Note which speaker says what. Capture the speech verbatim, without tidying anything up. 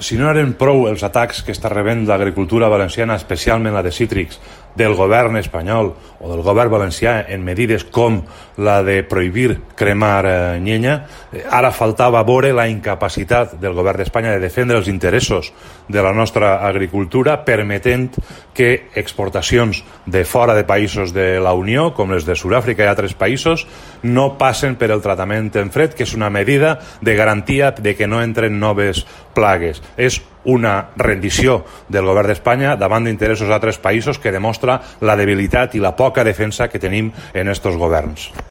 Speaker 1: si no eren prou els atacs que està rebent l'agricultura valenciana, especialment la de cítrics, del govern espanyol o del govern valencià en medides com la de prohibir cremar eh, llenya, eh, ara faltava veure la incapacitat del govern d'Espanya de defendre els interessos de la nostra agricultura, permetent que exportacions de fora de països de la Unió, com les de Sud-àfrica i altres països, no passen per el tractament en fred, que és una medida de garantia de que no entren noves plagues. És una rendició del govern d'Espanya davant d'interessos d'altres països que demostra la debilitat i la poca defensa que tenim en estos governs.